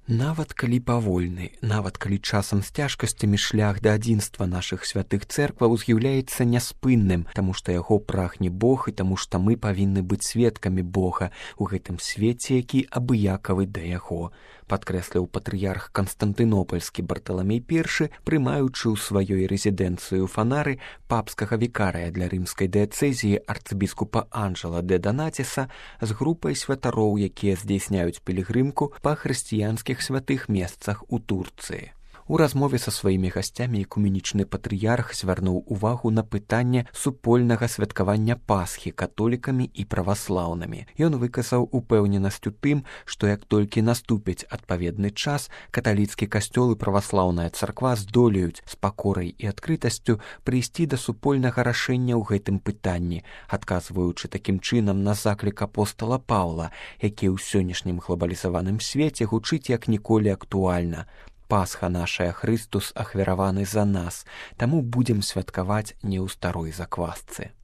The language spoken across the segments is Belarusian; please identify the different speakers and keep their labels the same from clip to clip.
Speaker 1: Нават калі павольны, нават калі часам з цяжкасцямі шлях да адзінства нашых святых цэркваў з'яўляецца няспынным, таму што яго прагне Бог і таму што мы павінны быць сведкамі Бога ў гэтым свеце, які абыякавы да яго, падкрэсліў патрыярх Канстантынопольскі Барталамей I, прымаючы ў сваёй рэзідэнцыі ў Фанары папскага вікарыя для рымскай дыяцэзіі арцыбіскупа Анджела де Донатіса з групай святароў, якія здзяйсняюць пілігрымку па хрысціянскіх святых месцах у Турцыі. У размове са сваімі гасцямі экуменічны патрыярх звярнуў увагу на пытанне супольнага святкавання Пасхі католікамі і праваслаўнымі. Ён выказаў упэўненасць у тым, што як толькі наступіць адпаведны час, каталіцкі касцёл і праваслаўная царква здолеюць з пакорай і адкрытасцю прыйсці да супольнага рашэння ў гэтым пытанні, адказваючы такім чынам на заклік апостала Паўла, які ў сённяшнім глобалізаваным свеце гучыць як ніколі актуальна. Пасха нашая, Хрыстус ахвяраваны за нас, таму будзем святкаваць не ў старой заквасцы.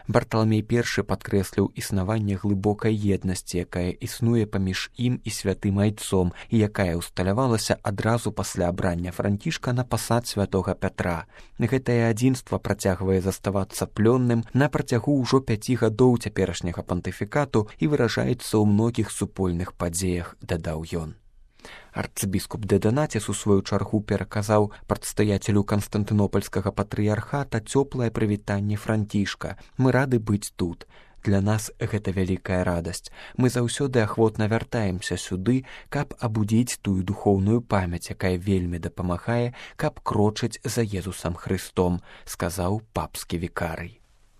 Speaker 1: Барталамей I падкрэсліў існаванне глыбокай еднасці, якая існуе паміж ім і святым айцом і якая ўсталявалася адразу пасля абрання Францішка на пасад святога Пятра. Гэтае адзінства працягвае заставацца плённым на працягу ўжо 5 гадоў цяперашняга пантыфікату і выражаецца ў многіх супольных падзеях, дадаў ён. Арцыбіскуп де Донатіс у сваю чаргу пераказаў прадстаяцелю Канстантынопольскага патрыярхата цёплае прывітанне Францішка. Мы рады быць тут. Для нас гэта вялікая радасць. Мы заўсёды ахвотна вяртаемся сюды, каб абудзіць тую духоўную памяць, якая вельмі дапамагае, каб крочыць за Езусам Хрыстом, сказаў папскі вікарый.